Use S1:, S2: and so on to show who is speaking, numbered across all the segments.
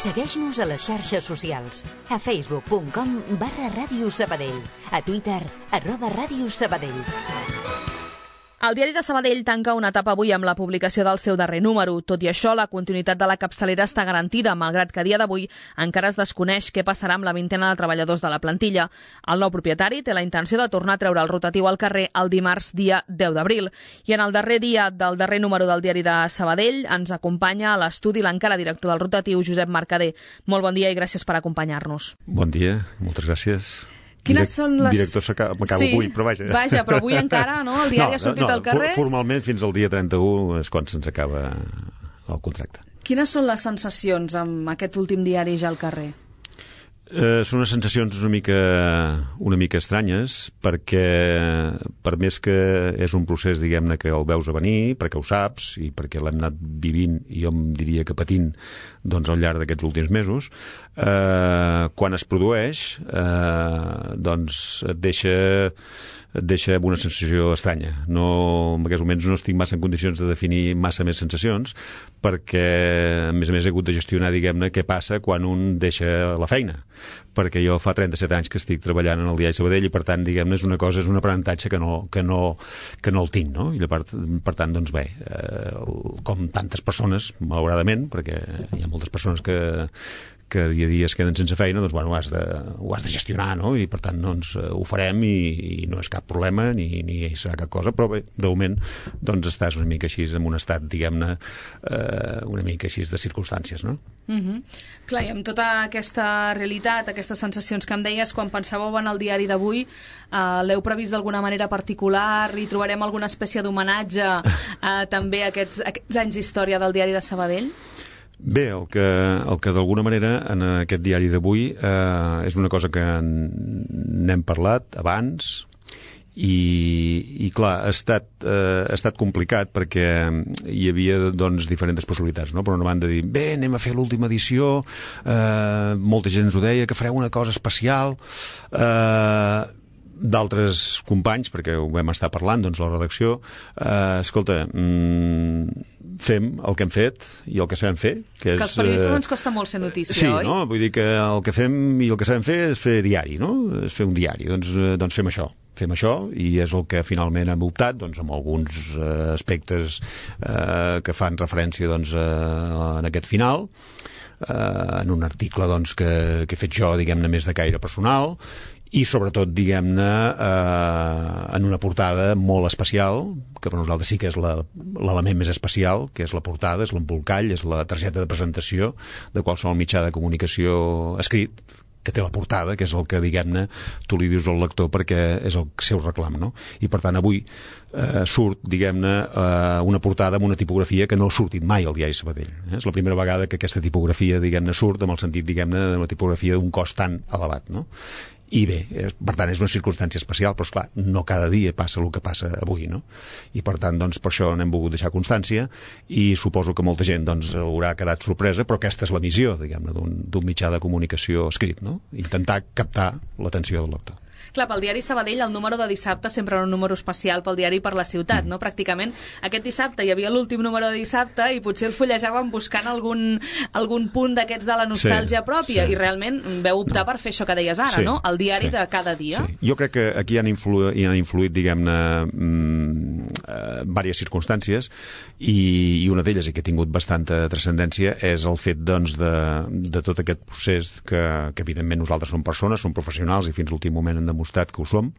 S1: Segueix-nos a les xarxes socials, a facebook.com/Ràdio Sabadell, a Twitter, @Ràdio Sabadell.
S2: El diari de Sabadell tanca una etapa avui amb la publicació del seu darrer número. Tot i això, la continuïtat de la capçalera està garantida, malgrat que a dia d'avui encara es desconeix què passarà amb la vintena de treballadors de la plantilla. El nou propietari té la intenció de tornar a treure el rotatiu al carrer el dimarts, dia 10 d'abril. I en el darrer dia del darrer número del diari de Sabadell ens acompanya a l'estudi l'encara director del rotatiu, Josep Mercader. Molt bon dia i gràcies per acompanyar-nos.
S3: Bon dia, moltes gràcies.
S2: Quines són les...
S3: Director m'acabo avui, però vaja.
S2: Vaja, però avui encara, no? El diari ha sortit al carrer.
S3: Formalment fins al dia 31 és quan se'ns acaba el contracte.
S2: Quines són les sensacions amb aquest últim diari ja al carrer?
S3: Són unes sensacions una mica estranyes, perquè per més que és un procés, diguem-ne, que el veus a venir, perquè ho saps i perquè l'hem anat vivint i jo em diria que patint doncs, al llarg d'aquests últims mesos, quan es produeix doncs et deixa amb una sensació estranya. En aquests moments no estic massa en condicions de definir massa més sensacions, perquè a més he hagut de gestionar, diguem-ne, què passa quan un deixa la feina, perquè jo fa 37 anys que estic treballant en el diari Sabadell i per tant, diguem-ne, és un aprenentatge que no el tinc, no? I per tant, doncs bé, com tantes persones, malauradament, perquè hi ha moltes persones que dia a dia es queden sense feina, doncs bueno, ho has de gestionar, no? I per tant doncs ho farem i no és cap problema ni serà cap cosa, però bé, de moment doncs estàs una mica així en un estat, diguem-ne, una mica així de circumstàncies, no?
S2: Clar, i amb tota aquesta realitat, aquestes sensacions que em deies, quan pensàveu en el diari d'avui, l'heu previst d'alguna manera particular? Hi trobarem alguna espècie d'homenatge també a aquests anys d'història del diari de Sabadell?
S3: Bé, el que d'alguna manera en aquest diari d'avui és una cosa que n'hem parlat abans i clar, ha estat complicat perquè hi havia doncs diferents possibilitats, no? Per una banda dir, bé, anem a fer l'última edició, molta gent ens ho deia, que fareu una cosa especial, d'altres companys, perquè ho vam estar parlant, doncs la redacció, escolta, fem el que hem fet i el que sabem fer.
S2: Que als periodistes ens costa molt ser notícia,
S3: sí,
S2: oi?
S3: Sí, no? Vull dir que el que fem i el que sabem fer és fer diari, no? És fer un diari, doncs fem això. Fem això i és el que finalment hem optat, doncs, amb alguns aspectes que fan referència doncs, en aquest final, en un article doncs, que he fet jo, diguem-ne, més de caire personal, i sobretot, diguem-ne, en una portada molt especial, que per nosaltres sí que és l'element més especial, que és la portada, és l'embolcall, és la targeta de presentació de qualsevol mitjà de comunicació escrit, que té la portada, que és el que, diguem-ne, tu li dius al lector perquè és el seu reclam, no? I per tant avui surt, diguem-ne, una portada amb una tipografia que no ha sortit mai al diari Sabadell. És la primera vegada que aquesta tipografia, diguem-ne, surt amb el sentit, diguem-ne, de la tipografia d'un cost tan elevat, no? I bé, per tant, és una circumstància especial, però esclar, no cada dia passa el que passa avui, no? I per tant, doncs, per això n'hem volgut deixar constància i suposo que molta gent, doncs, haurà quedat sorpresa, però aquesta és la missió, diguem-ne, d'un mitjà de comunicació escrit, no? Intentar captar l'atenció del lector.
S2: Clar, pel diari Sabadell el número de dissabte sempre era un número especial pel diari per la ciutat, no? Pràcticament aquest dissabte hi havia l'últim número de dissabte i potser el fullejàvem buscant algun punt d'aquests de la nostàlgia pròpia i realment veu optar per fer això que deies ara, no? El diari de cada dia.
S3: Sí. Jo crec que aquí hi han influït, diguem-ne, diverses circumstàncies i una d'elles, i que ha tingut bastanta transcendència, és el fet, doncs, de tot aquest procés que evidentment nosaltres som persones, som professionals i fins l'últim moment hem demostrat que ho som,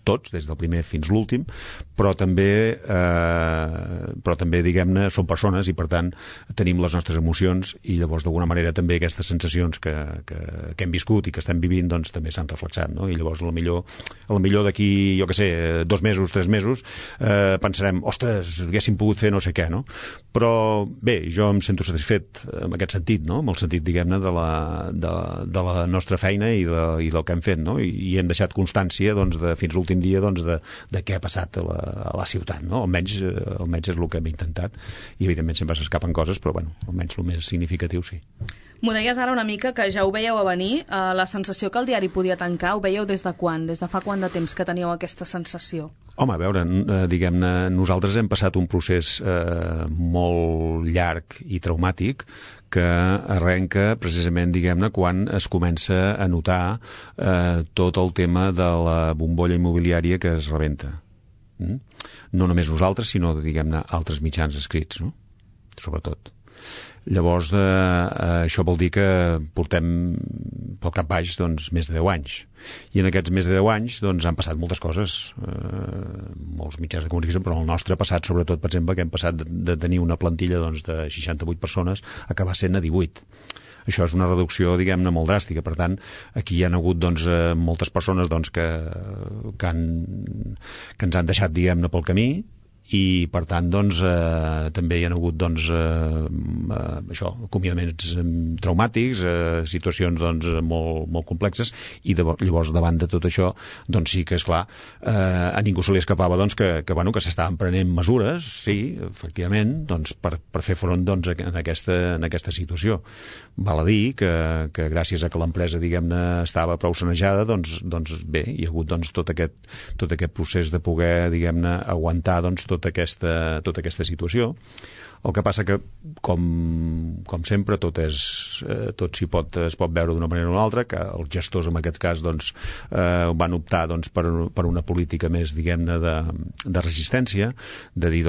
S3: tots, des del primer fins l'últim, però també, diguem-ne, som persones i, per tant, tenim les nostres emocions i llavors, d'alguna manera, també aquestes sensacions que hem viscut i que estem vivint, doncs, també s'han reflexat, no? I llavors, potser d'aquí, jo què sé, 2 mesos, 3 mesos, pensarem, ostres, haguéssim pogut fer no sé què, no? Però, bé, jo em sento satisfet en aquest sentit, no? En el sentit, diguem-ne, de la nostra feina i del que hem fet, no? I hem deixat constància, doncs, fins l'últim dia, doncs, de què ha passat a la ciutat, no? Almenys és el que hem intentat i evidentment sempre s'escapen coses, però bueno, almenys el més significatiu sí.
S2: M'ho deies ara una mica que ja ho veieu a venir, la sensació que el diari podia tancar, ho veieu des de quan? Des de fa quant de temps que teníeu aquesta sensació?
S3: Home, a veure, diguem-ne, nosaltres hem passat un procés molt llarg i traumàtic que arrenca precisament, diguem-ne, quan es comença a notar tot el tema de la bombolla immobiliària que es rebenta. No només nosaltres, sinó, diguem-ne, altres mitjans escrits, no? Sobretot. Llavors, això vol dir que portem pel cap baix més de 10 anys. I en aquests més de 10 anys han passat moltes coses, molts mitjans de comunicació, però el nostre ha passat, sobretot, per exemple, que hem passat de tenir una plantilla de 68 persones a acabar sent a 18. Això és una reducció, diguem-ne, molt dràstica. Per tant, aquí hi ha hagut moltes persones que ens han deixat, diguem-ne, pel camí, i per tant també hi ha hagut acomiadaments traumàtics, situacions molt complexes, i llavors davant de tot això sí que és clar, a ningú se li escapava que s'estaven prenent mesures, sí, efectivament, per fer front en aquesta situació. Val a dir que gràcies a que l'empresa, diguem-ne, estava prou sanejada, bé, hi ha hagut tot aquest procés de poder, diguem-ne, aguantar tota aquesta situació. El que passa que, com sempre, tot es pot veure d'una manera o una altra, que els gestors, en aquest cas, van optar per una política més, diguem-ne, de resistència, de dir,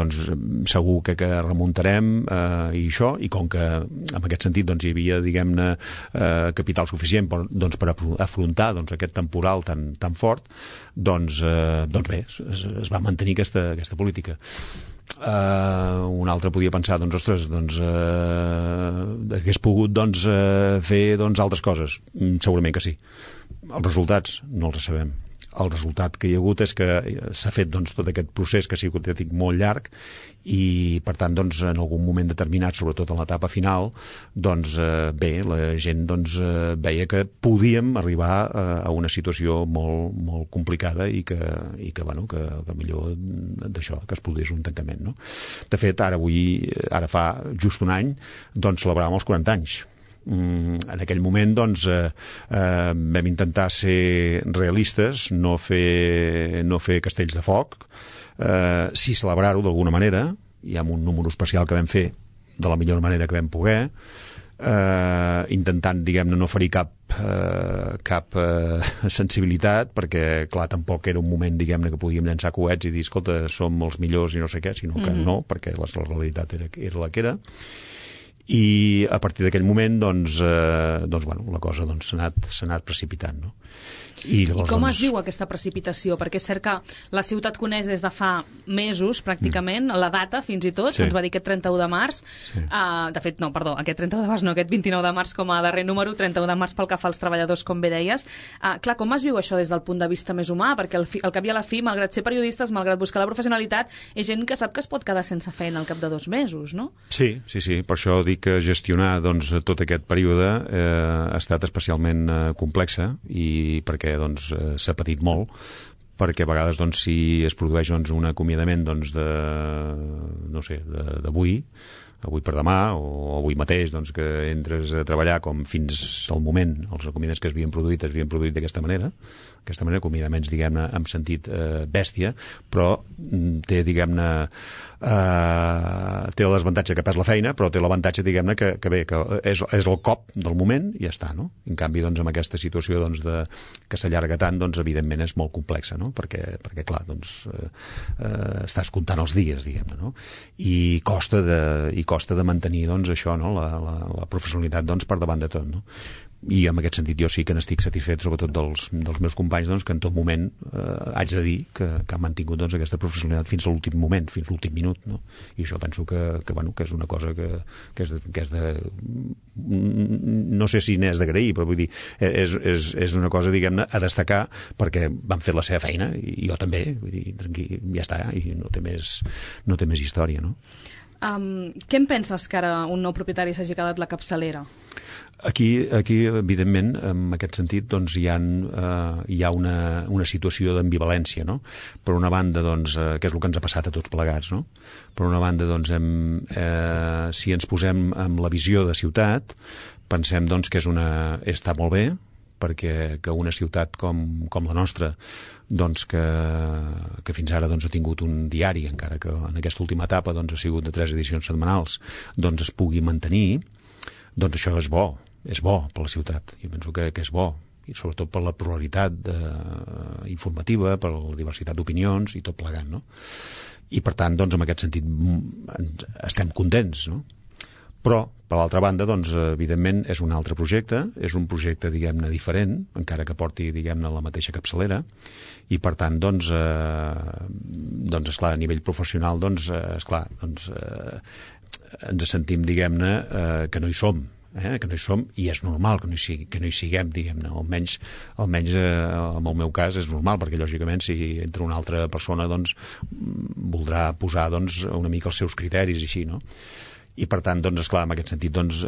S3: segur que remuntarem i això, i com que en aquest sentit hi havia, diguem-ne, capital suficient per afrontar aquest temporal tan fort, bé, es va mantenir aquesta política. Un altre podia pensar, ostres, hagués pogut fer altres coses. Segurament que sí. Els resultats no els sabem. El resultat que hi ha hagut és que s'ha fet tot aquest procés que ha sigut molt llarg, i per tant en algun moment determinat, sobretot en l'etapa final, bé, la gent veia que podíem arribar a una situació molt complicada i que millor d'això, que es produís un tancament, no? De fet, ara fa just un any celebràvem els 40 anys. En aquell moment vam intentar ser realistes, no fer castells de foc, sí celebrar-ho d'alguna manera, i amb un número especial que vam fer de la millor manera que vam poder, intentant, diguem-ne, no ferir cap sensibilitat, perquè, clar, tampoc era un moment, diguem-ne, que podíem llançar coets i dir, escolta, som els millors i no sé què, sinó que no, perquè la realitat era la que era. I a partir d'aquell moment la cosa s'ha anat precipitant, no? I
S2: com es diu aquesta precipitació? Perquè és cert que la ciutat coneix des de fa mesos, pràcticament, la data, fins i tot, se'ns va dir aquest 31 de març. De fet, no, perdó, aquest 31 de març no, aquest 29 de març com a darrer número, 31 de març pel que fa als treballadors, com bé deies. Clar, com es viu això des del punt de vista més humà? Perquè al cap i a la fi, malgrat ser periodistes, malgrat buscar la professionalitat, és gent que sap que es pot quedar sense feina al cap de 2 mesos, no?
S3: Sí, per això dic que gestionar tot aquest període ha estat especialment complexa, i perquè s'ha patit molt, perquè a vegades si es produeix un acomiadament d'avui per demà, o avui mateix, que entres a treballar com fins al moment els acomiadaments que s'havien produït d'aquesta manera, acomiadaments, diguem-ne, en sentit bèstia, però té, diguem-ne, té el desavantatge que perds la feina, però té l'avantatge, diguem-ne, que bé, que és el cop del moment i ja està, no? En canvi, amb aquesta situació que s'allarga tant, evidentment és molt complexa, no? Perquè clar, estàs comptant els dies, diguem-ne, no? I costa de mantenir, això, no? La professionalitat, per davant de tot, no? I en aquest sentit jo sí que n'estic satisfet, sobretot dels meus companys, que en tot moment haig de dir que han mantingut aquesta professionalitat fins a l'últim moment, fins a l'últim minut, no? I això penso que és una cosa que és de... no sé si n'és d'agrair, però vull dir, és una cosa, diguem-ne, a destacar, perquè van fer la seva feina, i jo també, vull dir, tranquil, ja està, i no té més història, no?
S2: Què en penses que ara un nou propietari s'hagi quedat la capçalera?
S3: Aquí, evidentment, en aquest sentit, hi ha una situació d'ambivalència, no? Per una banda, que és el que ens ha passat a tots plegats, no? Per una banda, si ens posem amb la visió de ciutat, pensem que està molt bé, perquè que una ciutat com la nostra, doncs que fins ara doncs, ha tingut un diari, encara que en aquesta última etapa doncs, ha sigut de 3 edicions setmanals, doncs es pugui mantenir, doncs això és bo per la ciutat. Jo penso que és bo, i sobretot per la pluralitat informativa, per la diversitat d'opinions i tot plegat, no? I per tant, doncs, en aquest sentit estem contents, no? Però, per l'altra banda, doncs, evidentment, és un altre projecte, és un projecte, diguem-ne, diferent, encara que porti, diguem-ne, la mateixa capçalera, i per tant, doncs, esclar, a nivell professional, doncs, esclar, doncs, ens sentim, diguem-ne, que no hi som, que no hi som, i és normal que no hi siguem, diguem-ne, almenys en el meu cas és normal, perquè lògicament si entra una altra persona doncs voldrà posar doncs una mica els seus criteris i així, no? I per tant, doncs, esclar, en aquest sentit doncs,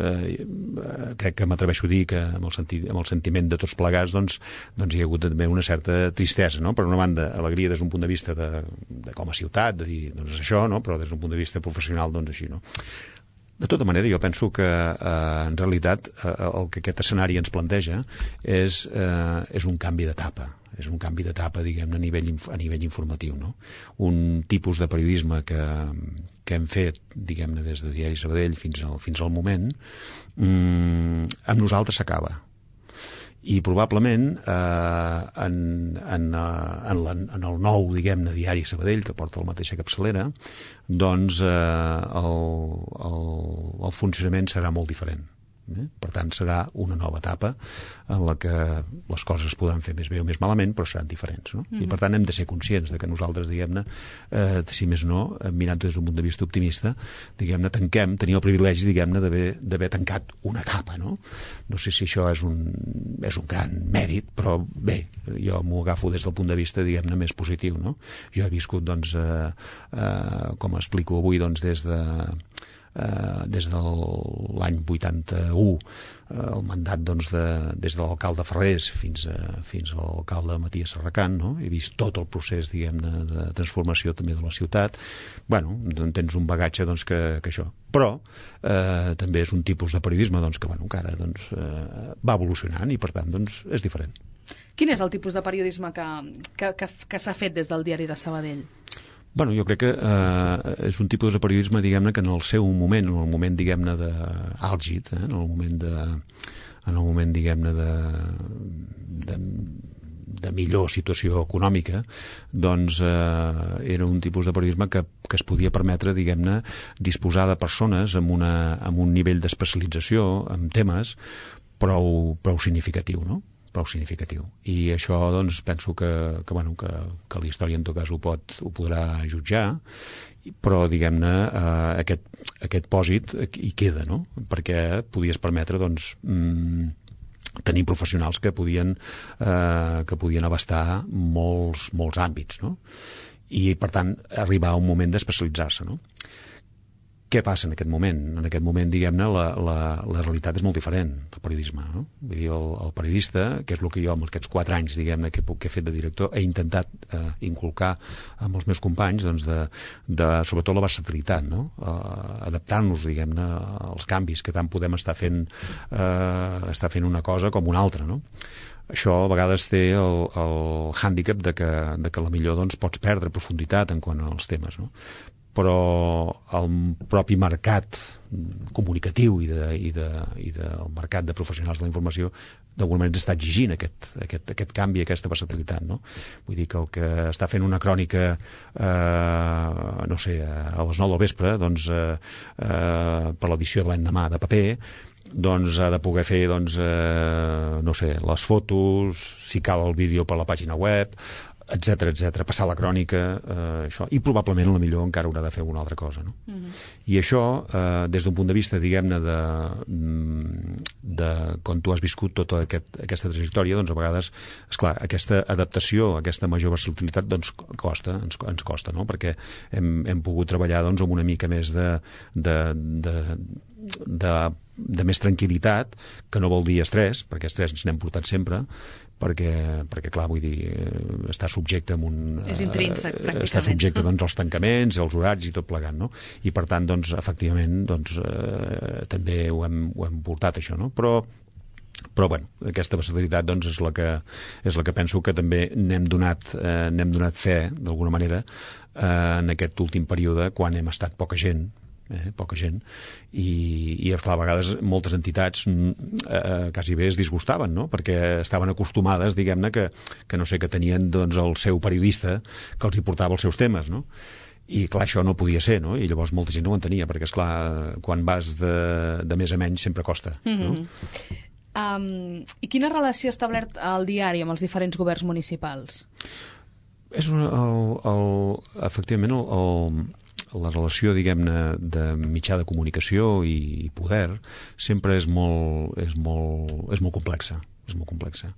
S3: crec que m'atreveixo a dir que amb el sentiment de tots plegats doncs hi ha hagut també una certa tristesa, no? Per una banda, alegria des d'un punt de vista de com a ciutat, de dir, doncs això, no? Però des d'un punt de vista professional, doncs així, no? De tota manera, jo penso que en realitat el que aquest escenari ens planteja és un canvi d'etapa. És un canvi d'etapa, diguem-ne, a nivell informatiu, no? Un tipus de periodisme que hem fet, diguem-ne, des de Diari Sabadell fins al moment, amb nosaltres s'acaba. I probablement en el nou, diguem-ne, Diari Sabadell, que porta la mateixa capçalera, doncs el funcionament serà molt diferent. Per tant, serà una nova etapa en la que les coses es podran fer més bé o més malament, però seran diferents, no? I per tant hem de ser conscients de que nosaltres, diguem-ne, si més no, mirant des d'un punt de vista optimista, diguem-ne, tenim el privilegi, diguem-ne, d'haver tancat una etapa, no? No sé si això és un gran mèrit, però bé, jo m'ho agafo des del punt de vista, diguem-ne, més positiu, no? Jo he viscut, doncs, com explico avui, doncs, des de l'any 81 el mandat doncs, des de l'alcalde Ferrés fins a l'alcalde Matías Serracant, no? He vist tot el procés, diguem-ne, de transformació també de la ciutat. Bueno, tens un bagatge doncs, que això. Però també és un tipus de periodisme doncs, que ara doncs, va evolucionant i per tant doncs, és diferent.
S2: Quin és el tipus de periodisme que s'ha fet des del Diari de Sabadell?
S3: Bueno, jo crec que és un tipus de periodisme, diguem-ne, que en el seu moment, en el moment, diguem-ne, d'àlgid, en el moment, diguem-ne, de millor situació econòmica, doncs era un tipus de periodisme que es podia permetre, diguem-ne, disposar de persones amb un nivell d'especialització en temes prou significatiu, no? Prou significatiu. I això, doncs, penso que la història en tot cas ho podrà jutjar, però, diguem-ne, aquest pòsit hi queda, no? Perquè podies permetre, doncs, tenir professionals que podien abastar molts àmbits, no? I, per tant, arribar a un moment d'especialitzar-se, no? Què passa en aquest moment? En aquest moment, diguem-ne, la realitat és molt diferent del periodisme, no? Vull dir, el periodista, que és el que jo amb aquests 4 anys, diguem-ne, que he fet de director, he intentat inculcar amb els meus companys, doncs, sobretot la versatilitat, no? Adaptar-nos, diguem-ne, als canvis, que tant podem estar fent una cosa com una altra, no? Això a vegades té el hàndicap de que a la millor doncs, pots perdre profunditat en quant als temes, no? Però el propi mercat comunicatiu i del mercat de professionals de la informació d'alguna manera ens està exigint aquest canvi, aquesta versatilitat, no? Vull dir que el que està fent una crònica no sé, a les 9 del vespre doncs, per l'edició de l'endemà de paper, doncs ha de poder fer doncs, no sé, les fotos, si cal el vídeo per la pàgina web, etc, passar la crònica, això, i probablement a la millor encara haurà de fer alguna altra cosa, no? I això, des d'un punt de vista, diguem-ne, de quan tu has viscut tota aquesta trajectòria, doncs a vegades, esclar, aquesta adaptació, aquesta major versatilitat, doncs ens costa, no? Perquè hem pogut treballar doncs amb una mica més de més tranquil·litat, que no vol dir estrès, perquè estrès ens n'hem portat sempre, perquè clar, vull dir, està subjecte a
S2: és intrínsec, pràcticament.
S3: Està subjecte doncs, als tancaments, als horaris i tot plegat, no? I per tant, doncs, efectivament, doncs, també ho hem portat, això, no? Però Però, bueno, aquesta versatilitat doncs, és la que penso que també n'hem donat fe, d'alguna manera, en aquest últim període, quan hem estat poca gent, i clar, a vegades moltes entitats quasi bé es disgustaven, no? Perquè estaven acostumades, diguem-ne, que no sé, que tenien doncs, el seu periodista que els hi portava els seus temes, no? I clar, això no podia ser, no? I llavors molta gent no ho entenia, perquè esclar, quan vas de més a menys sempre costa, no?
S2: I quina relació ha establert el diari amb els diferents governs municipals?
S3: És efectivament la relació, diguem-ne, de mitjà de comunicació i poder sempre és molt complexa. És molt complexa.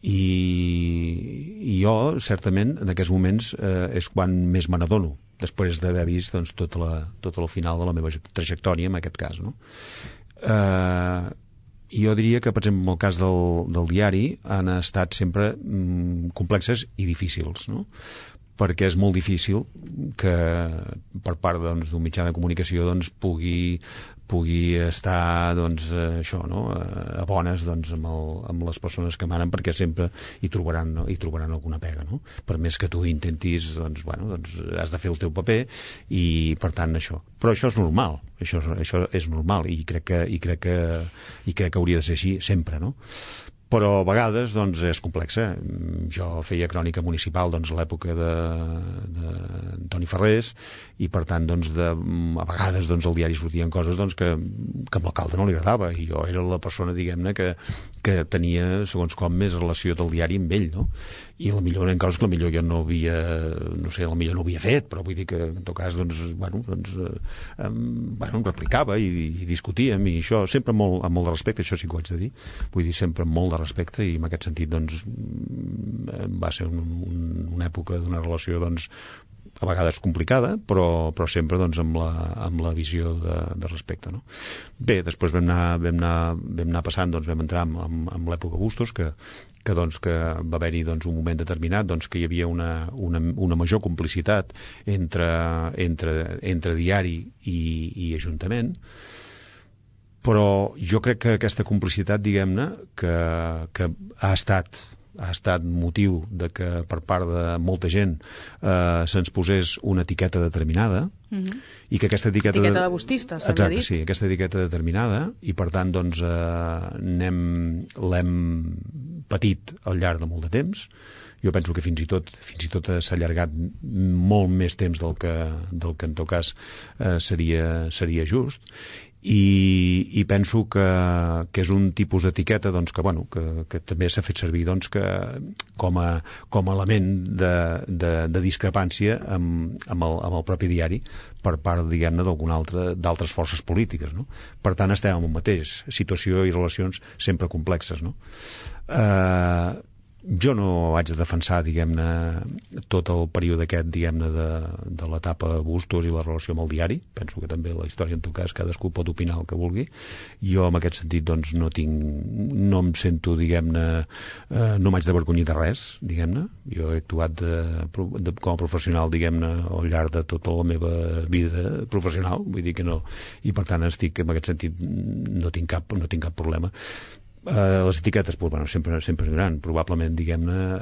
S3: I jo, certament, en aquests moments és quan més me n'adono, després d'haver vist doncs, tot el final de la meva trajectòria, en aquest cas, no? I jo diria que, per exemple, en el cas del diari han estat sempre complexes i difícils, no? Perquè és molt difícil que per part doncs, d'un mitjà de comunicació doncs, pugui estar doncs, això, no? A bones doncs, amb les persones que manen, perquè sempre hi trobaran alguna pega, no? Per més que tu intentis, doncs, has de fer el teu paper i, per tant, això. Però això és normal, això és normal i crec que hauria de ser així sempre, no? Però a vegades doncs, és complexa. Jo feia crònica municipal doncs, a l'època d'Antoni Ferrés i per tant doncs, a vegades doncs, al diari sortien coses doncs, que a l'alcalde no li agradava i jo era la persona diguem-ne que tenia segons com més relació del diari amb ell, no? I potser en coses que potser jo no havia fet, però vull dir que en tot cas doncs, em replicava i discutíem i això sempre amb molt de respecte, això sí que ho haig de dir, vull dir sempre amb molt de respecte i en aquest sentit doncs, va ser una època d'una relació doncs, a vegades complicada, però sempre doncs, amb la visió de respecte, no? Bé, després vam anar passant, doncs, vam entrar amb l'època Bustos, que va haver-hi doncs, un moment determinat doncs, que hi havia una major complicitat entre diari i Ajuntament, però jo crec que aquesta complicitat, diguem-ne, que ha estat motiu de que per part de molta gent se'ns posés una etiqueta determinada i que aquesta etiqueta
S2: de bustistes,
S3: s'havia dit. Sí, aquesta etiqueta determinada i per tant doncs l'hem patit al llarg de molt de temps. Jo penso que fins i tot s'ha allargat molt més temps del que en tot cas seria just i penso que és un tipus d'etiqueta doncs, que també s'ha fet servir doncs, com a element de discrepància amb el propi diari per part, diguem-ne, d'altres forces polítiques, no? Per tant, estem en un mateix, situació i relacions sempre complexes, no? Jo no haig de defensar, diguem-ne, tot el període aquest, diguem-ne, de l'etapa Bustos i la relació amb el diari. Penso que també la història, en tot cas, cadascú pot opinar el que vulgui. Jo, en aquest sentit, doncs, no em sento, diguem-ne, no m'haig d'avergonyir de res, diguem-ne. Jo he actuat com a professional, diguem-ne, al llarg de tota la meva vida professional, vull dir que no. I, per tant, estic, en aquest sentit, no tinc cap problema. Les etiquetes sempre aniran, probablement, diguem-ne,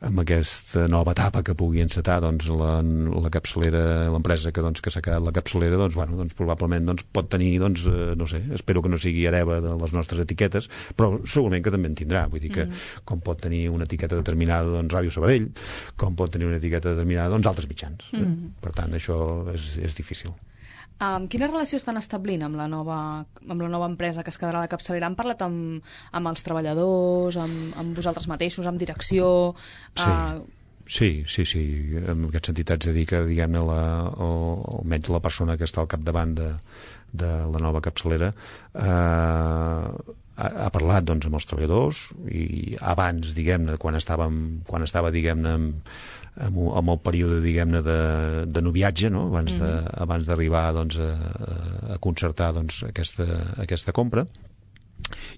S3: amb aquesta nova etapa que pugui encetar doncs, la capçalera, l'empresa que s'ha quedat la capçalera, doncs, probablement pot tenir, doncs, no sé, espero que no sigui hereva de les nostres etiquetes, però segurament que també en tindrà, vull dir que com pot tenir una etiqueta determinada doncs, Ràdio Sabadell, com pot tenir una etiqueta determinada doncs, altres mitjans. Per tant, això és difícil.
S2: Quina relació estan establint amb la nova empresa que es quedarà a la capçalera? Han parlat amb els treballadors, amb vosaltres mateixos, amb direcció?
S3: Sí. En aquest sentit haig de dir que, diguem-ne, almenys la persona que està al capdavant de la nova capçalera ha parlat doncs, amb els treballadors i abans, diguem-ne, quan estava, diguem-ne, amb el període, diguem-ne, de noviatge, no? Abans d'arribar doncs, a concertar doncs, aquesta compra.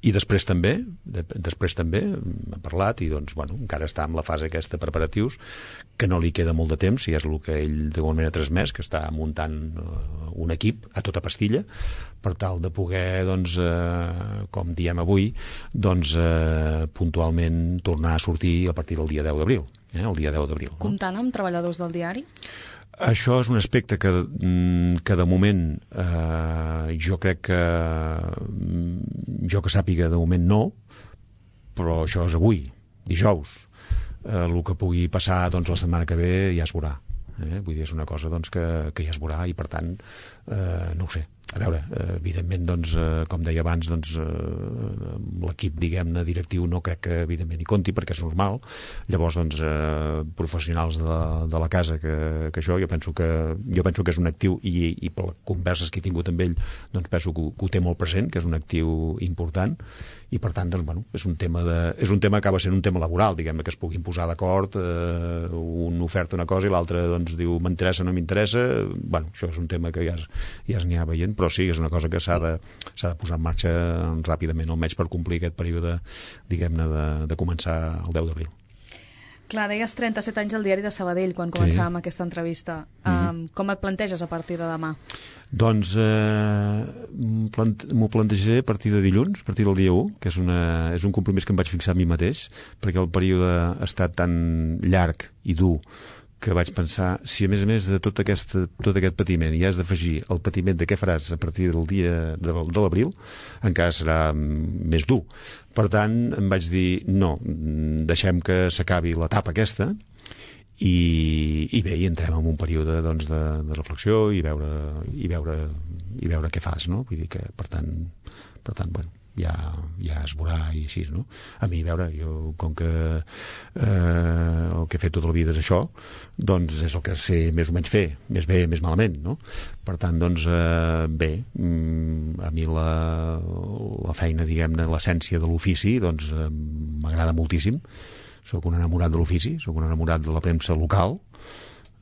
S3: I després també hem parlat i doncs, bueno, encara està en la fase aquesta preparatius, que no li queda molt de temps, i és el que ell d'alguna manera ha transmès, que està muntant un equip a tota pastilla per tal de poder, doncs, com diem avui, doncs, puntualment tornar a sortir a partir del dia 10 d'abril. El dia 10 d'abril.
S2: Comptant amb treballadors del diari?
S3: Això és un aspecte que de moment jo crec que jo que sàpiga de moment no, però això és avui, dijous. El que pugui passar doncs, la setmana que ve ja es veurà. Vull dir, és una cosa doncs, que ja es veurà i per tant no ho sé. A veure, evidentment, doncs, com deia abans, doncs, l'equip, diguem-ne, directiu no crec que evidentment hi compti perquè és normal. Llavors, doncs, professionals de la casa que això, jo penso que és un actiu i per les converses que he tingut amb ell, doncs penso que ho té molt present, que és un actiu important i per tant, doncs, bueno, és un tema que acaba sent un tema laboral, diguem-ne, que es puguin posar d'acord, un oferta una cosa i l'altre doncs diu m'interessa o no m'interessa. Bueno, això és un tema que ja es n'hi ha veient, però sí, és una cosa que s'ha de posar en marxa ràpidament, almenys per complir aquest període, diguem-ne, de començar el 10 d'abril.
S2: Clar, deies 37 anys al diari de Sabadell quan començàvem aquesta entrevista. Com et planteges a partir de demà?
S3: Doncs m'ho plantejaré a partir de dilluns, a partir del dia 1, que és un compromís que em vaig fixar a mi mateix, perquè el període ha estat tan llarg i dur que vaig pensar, si a més de tot aquest patiment hi has d'afegir el patiment de què faràs a partir del dia de l'abril, encara serà més dur. Per tant, em vaig dir, no, deixem que s'acabi l'etapa aquesta i bé, i entrem en un període doncs, de reflexió i veure què fas, no? Vull dir que, per tant, bueno, ja es veurà i així, no? A mi, a veure, jo, com que el que he fet tota la vida és això, doncs és el que sé més o menys fer, més bé, més malament, no? Per tant, doncs, bé, a mi la feina, diguem-ne, l'essència de l'ofici, doncs, m'agrada moltíssim. Soc un enamorat de l'ofici, soc un enamorat de la premsa local,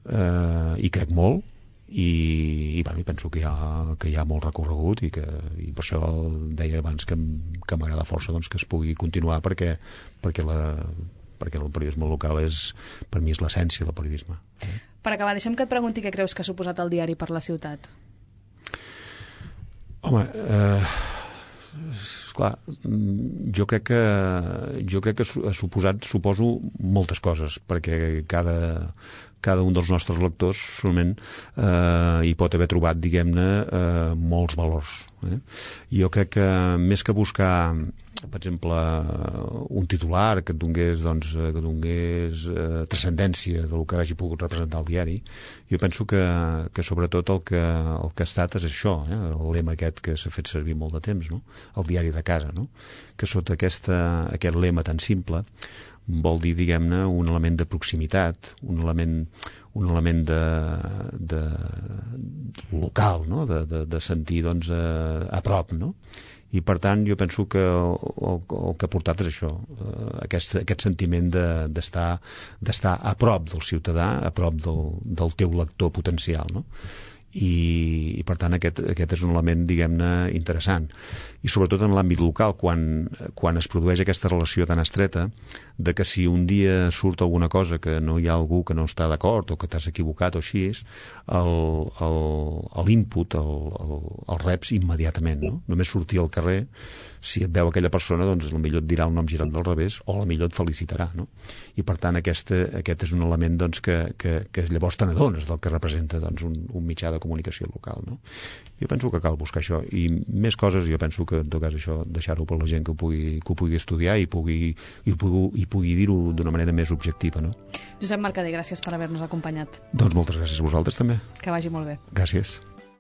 S3: i crec molt, i penso que hi ha molt recorregut i per això deia abans que m'agrada força doncs, que es pugui continuar perquè el periodisme local per mi és l'essència del periodisme.
S2: Per acabar, deixa'm que et pregunti què creus que ha suposat el diari per la ciutat.
S3: Home, clar, jo crec que ha suposat, suposo, moltes coses, perquè cada un dels nostres lectors solament hi pot haver trobat, diguem-ne, molts valors. Jo crec que més que buscar, per exemple, un titular que et donés transcendència del que hagi pogut representar el diari, jo penso que sobretot el que ha estat és això, el lema aquest que s'ha fet servir molt de temps, no? El diari de casa, no? Que sota aquest lema tan simple vol dir, diguem-ne, un element de proximitat, un element de local, no? De sentir, doncs, a prop, no? I, per tant, jo penso que el que ha portat és això, aquest sentiment d'estar a prop del ciutadà, a prop del teu lector potencial, no? I per tant aquest és un element, diguem-ne, interessant. I sobretot en l'àmbit local, quan es produeix aquesta relació tan estreta de que si un dia surt alguna cosa que no hi ha algú que no està d'acord o que t'has equivocat o així, l'input el reps immediatament, no? Només sortir al carrer, si et veu aquella persona, doncs potser et dirà el nom girat del revés o potser et felicitarà, no? I per tant aquest és un element doncs, que llavors te n'adones del que representa doncs, un mitjà de comunicació local, no? Jo penso que cal buscar això i més coses. Jo penso que en tot cas això deixar-ho per la gent que ho pugui estudiar i pugui dir-ho d'una manera més objectiva, no?
S2: Josep Mercader, gràcies per haver-nos acompanyat.
S3: Doncs moltes gràcies a vosaltres també.
S2: Que vagi molt bé.
S3: Gràcies.